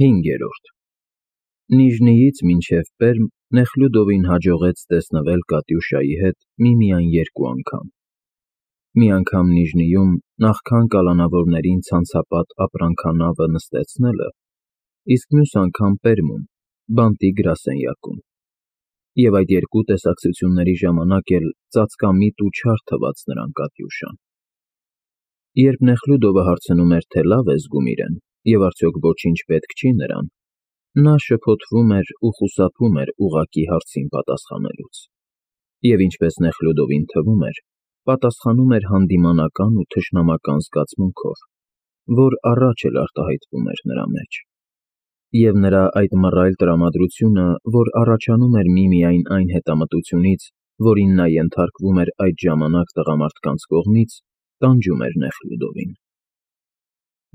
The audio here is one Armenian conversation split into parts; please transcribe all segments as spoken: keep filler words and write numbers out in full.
Հինգերորդ Նիժնիից մինչև Պերմ Նեխլյուդովին հաջողեց տեսնվել Կատյուշայի հետ միմիայն երկու անգամ. մի անգամ Նիժնիում նախքան կալանավորներին ցանցապատ ապրանքանավը նստեցնելը, իսկ մյուս անգամ Պերմում, բանտի գրասենյակում, և այդ երկու տեսակցությունների ժամանակ էլ ծածկամիտ ու չար թվաց նրան Կատյուշան։ Երբ Նեխլյուդովը հարցնում էր, թե լավ է զգում իրեն, և արդյոք ոչինչ պետք չի նրան, նա շփոթվում էր ու խուսափում էր ուղղակի հարցին պատասխանելուց, և ինչպես Նեխլյուդովին թվում էր, պատասխանում էր հանդիմանական ու թշնամական զգացմունքով, որ առաջ էլ արտահայտվում էր նրա մեջ։ Եվ նրա այդ մռայլ տրամադրությունը, որ առաջանում էր միմիայն այն հետամտությունից, որին նա ենթարկվում էր այդ ժամանակ տղամարդկանց կողմից, տանջում էր Նեխլյուդովին։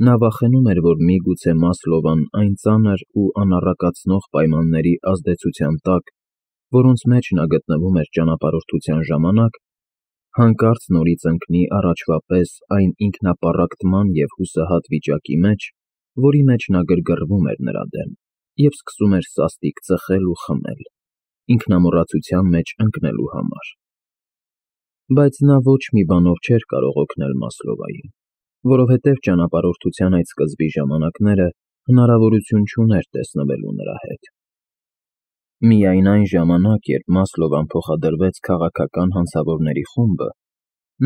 Նա վախենում էր, որ միգուցե Մասլովան այն ծանր ու անառակացնող պայմանների ազդեցության տակ, որոնց մեջ նա գտնվում էր ճանապարհորդության ժամանակ, հանկարծ նորից ընկնի առաջվա պես այն ինքնապառակտման և հուսահատ վիճակի մեջ, որի մեջ նա գրգռվում էր նրա դեմ և սկսում էր սաստիկ ծխել ու խմել, ինքնամոռացության մեջ ընկնելու համար։ Բայց նա ոչ մի բանով չէր կարող օգնել Մասլովային, որովհետև ճանապարհորդության այդ սկզբի ժամանակները հնարավորություն չուներ տեսնվելու նրա հետ։ Միայն այն ժամանակ, երբ Մասլովան փոխադրվեց քաղաքական հանցավորների խումբը,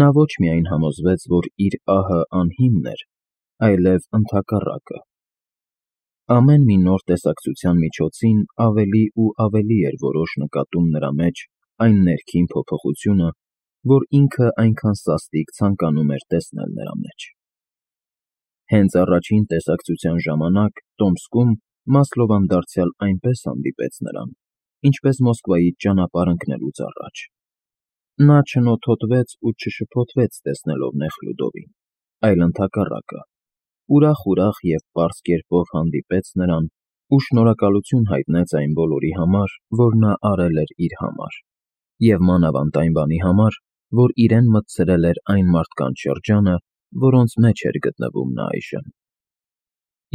նա ոչ միայն համոզվեց, որ իր ահը անհիմն էր, այլև ընդհակառակը։ Ամեն մի նոր տեսակցության միջոցին ավելի ու ավելի էր որոշ նկատում նրա մեջ այն ներքին փոփոխությունը, որ ինքը այնքան սաստիկ ցանկանում էր տեսնել նրա մեջ։ Հենց առաջին տեսակցության ժամանակ Տոմսկում Մասլովան դարձյալ այնպես հանդիպեց նրան, ինչպես Մոսկվայից ճանապարհ ընկնելուց առաջ։ Նա չնոթոտվեց ու չշփոթվեց տեսնելով Նեխլյուդովին, այլ ընդհակառակը, ուրախ-ուրախ և պարզ կերպով հանդիպեց նրան ու շնորհակալություն հայտնեց այն բոլորի համար, որ նա արել էր իր համար, և մանավանդ այն բանի համար, որ իրեն մտցրել էր այն մարդկանց շրջանը, որոնց մեջ էր գտնվում նա այժմ։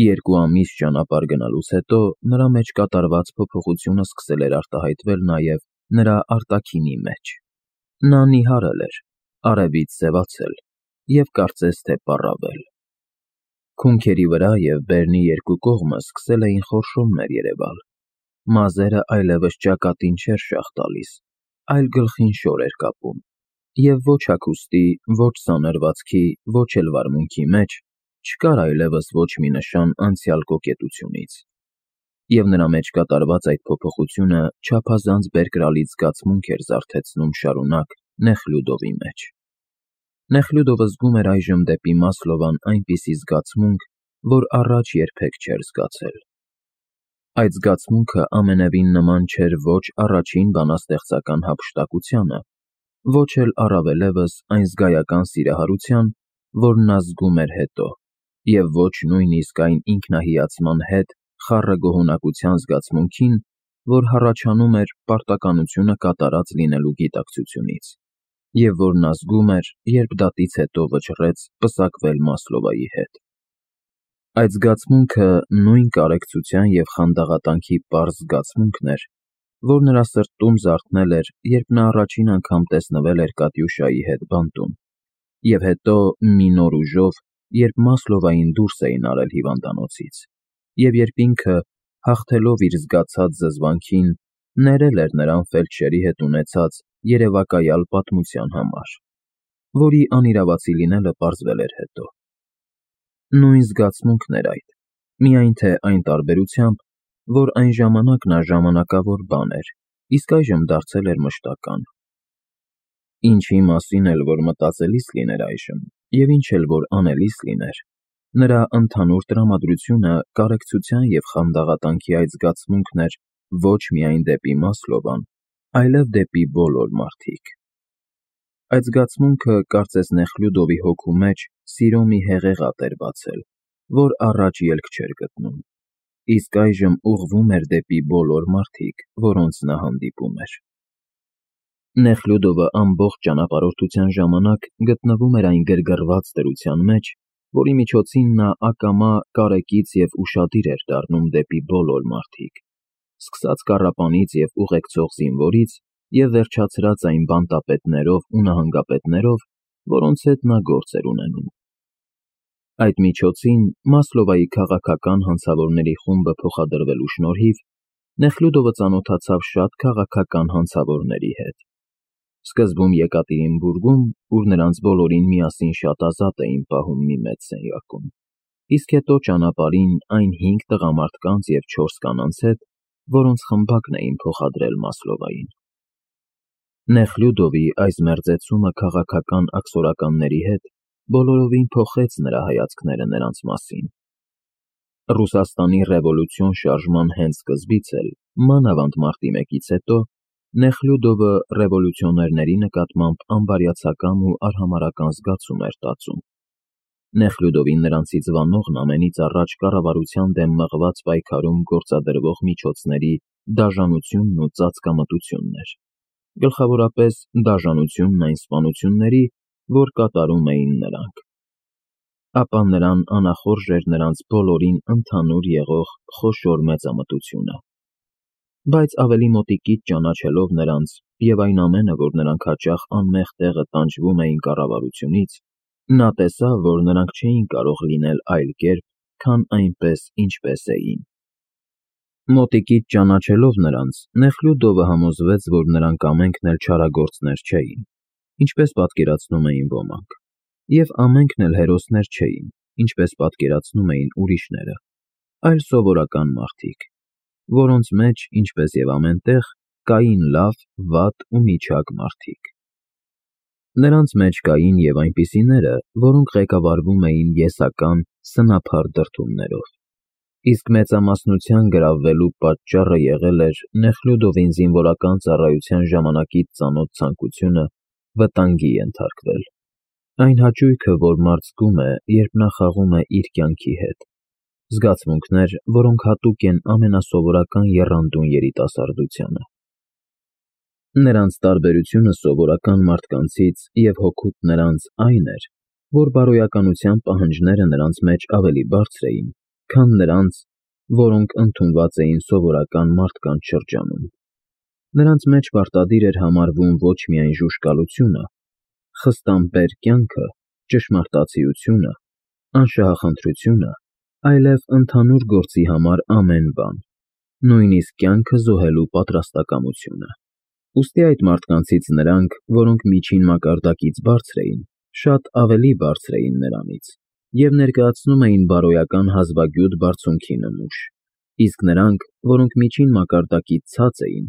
Երկու ամիս ճանապարհ գնալուց հետո նրա մեջ կատարված փոփոխությունը սկսել էր արտահայտվել նաև նրա արտաքինի մեջ։ Նա նիհարել էր, արևից սևացել և կարծես թե պառավել։ Քունքերի վրա և բերնի երկու կողմը սկսել էին խորշոմներ երևալ, մազերը այլևս ճակատին չէր շաղ տալիս, այլ գլխին շոր էր կապում, և ոչ հագուստի, ոչ սանրվածքի, ոչ էլ վարմունքի մեջ չկար այլևս ոչ մի նշան անցյալ կոկետությունից, և նրա մեջ կատարված այդ փոփոխությունը չափազանց բերկրալից զգացմունք էր զարթեցնում շարունակ Նեխլյուդովի մեջ։ Նեխլյուդովը զգում էր այժմ դեպի Մասլովան այնպիսի զգացմունք, որ առաջ երբեք չէր զգացել։ Այդ զգացմունքը ամենևին նման չէր ոչ առաջին բանաստեղծական հափշտակությանը, ոչ էլ առավելևս այն զգայական սիրահարության, որ նա զգում էր հետո, և ոչ նույնիսկ այն ինքնահիացման հետ խառը գոհունակության զգացմունքին, որ հառաչանում էր պարտականությունը կատարած լինելու գիտակցությունից, և որ նա զգում էր, երբ դատից հետո վճռեց պսակվել Մասլովայի հետ։ Այդ զգացմունքը նույն կարեկցության և խանդաղատանքի պարզ զգացմունքն էր, որ նրա սրտում զարթնել էր, երբ նա առաջին անգամ տեսնվել էր Կատյուշայի հետ բանտում, և հետո մի նոր ուժով, երբ Մասլովային դուրս էին արել հիվանդանոցից, և երբ ինքը, հաղթելով իր զգացած զզվանքին, ներել էր նրան ֆելդշերի հետ ունեցած երևակայալ պատմության համար, որի անիրավացի լինելը պարզվել էր հետո։ Նույն զգացմունքն էր այդ, միայն թե այն տարբերությամբ, որ այն ժամանակ նա ժամանակավոր բան էր, իսկ այժմ դարձել էր մշտական։ Ինչի մասին էլ որ մտածելիս լիներ այժմ, և ինչ էլ որ անելիս լիներ, նրա ընդհանուր տրամադրությունը կարեկցության և խանդաղատանքի այդ զգացմունքն էր ոչ միայն դեպի Մասլովան, այլև դեպի բոլոր մարդիկ։ Այդ զգացմունքը կարծես Նեխլյուդովի հոգու մեջ սիրո մի հեղեղատ էր բացել, որ առաջ ելք չէր գտնում, իսկ այժմ ուղղվում էր դեպի բոլոր մարդիկ, որոնց նա հանդիպում էր։ Նեխլյուդովը ամբողջ ճանապարհորդության ժամանակ գտնվում էր այն գրգռված դրության մեջ, որի միջոցին նա ակամա կարեկից և ուշադիր էր դառնում դեպի բոլոր մարդիկ, սկսած կառապանից և ուղեկցող զինվորից և վերջացրած այն բանտապետներով ու նահանգապետներով, որոնց հետ նա գործ էր ունենում։ Այդ միջոցին Մասլովայի քաղաքական հանցավորների խումբը փոխադրվելու շնորհիվ Նեխլյուդովը ծանոթացավ շատ քաղաքական հանցավորների հետ։ Սկզբում Եկատերինբուրգում, ուր նրանց բոլորին միասին շատ ազատ էին պահում մի մեծ սենյակում, իսկ հետո ճանապարհին այն հինգ տղամարդկանց և չորս կանանց հետ, որոնց խմբակն էին փոխադրել Մասլովային։ Նեխլյուդովի այս մերձեցումը քաղաքական աքսորականների հետ բոլորովին փոխեց նրա հայացքները նրանց մասին։ Ռուսաստանի ռևոլյուցիոն շարժման հենց սկզբից էլ, մանավանդ մարտի մեկից հետո, Նեխլյուդովը ռևոլյուցիոներների նկատմամբ անբարյացակամ ու արհամարհական զգացում էր տածում։ Նեխլյուդովին նրանցից վանողն ամենից առաջ կառավարության դեմ մղված պայքարում գործադրվող միջոցների դաժանությունն ու ծածկամտությունն էր, գլխավորապես դաժանությունն այն սպանությունների, որ կատարում էին նրանք։ Ապա նրան անախորժ էր նրանց բոլորին ընդհանուր եղող խոշոր մեծամտությունը։ Բայց ավելի մոտիկից ճանաչելով նրանց և այն ամենը, որ նրանք հաճախ անմեղ տեղը տանջվում էին կառավարությունից, նա տեսավ, որ նրանք չէին կարող լինել այլ կերպ, քան այնպես, ինչպես էին։ Մոտիկից ճանաչելով նրանց, Նեխլյուդովը համոզվեց, որ նրանք ամենքն էլ չարագործներ չէին, ինչպես պատկերացնում էին ոմանք, և ամենքն էլ հերոսներ չէին, ինչպես պատկերացնում էին ուրիշները, այլ սովորական մարդիկ, որոնց մեջ, ինչպես և ամեն տեղ, կային լավ, վատ ու միջակ մարդիկ։ Նրանց մեջ կային և այնպիսիները, որոնք ղեկավարվում էին ես-ական, սնափառ դրդումներով, իսկ մեծամասնության գրավվելու պատճառը եղել էր Նեխլյուդովին զինվորական ծառայության ժամանակից ծանոթ ցանկությունը վտանգի ենթարկվել, այն հաճույքը, որ մարդ զգում է, երբ նա խաղում է իր կյանքի հետ, զգացմունքներ, որոնք հատուկ են ամենասովորական եռանդուն երիտասարդությանը։ Նրանց տարբերությունը սովորական մարդկանցից և հօգուտ նրանց այն էր, որ բարոյականության պահանջները նրանց մեջ ավելի բարձր էին, քան նրանց, որոնք ընդունված էին սովորական մարդկանց շրջանում։ Նրանց մեջ պարտադիր էր համարվում ոչ միայն ժուժկալությունը, խստամբեր կյանքը, ճշմարտացիությունը, անշահախնդրությունը, այլև ընդհանուր գործի համար ամեն բան, նույնիսկ կյանքը զոհելու պատրաստակամությունը։ Ուստի այդ մարդկանցից նրանք, որոնք միջին մակարդակից բարձր էին, շատ ավելի բարձր էին նրանից և ներկայացնում էին բարոյական հազվագյուտ բարձունքի նմուշ, իսկ նրանք, որոնք միջին մակարդակից ցած էին,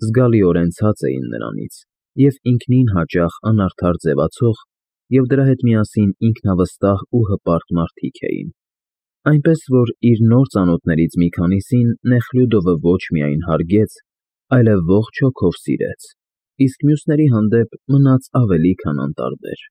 զգալիորեն ցած էին նրանից և ինքնին հաճախ անարդար ձևացող և դրա հետ միասին ինքնավստահ ու հպարտ մարդիկ էին։ Այնպես որ իր նոր ծանոթներից մի քանիսին Նեխլյուդովը ոչ միայն հարգեց, այլև ողջ հոգով սիրեց, իսկ մյուսների հանդեպ մնաց ավելի քան անտարբեր։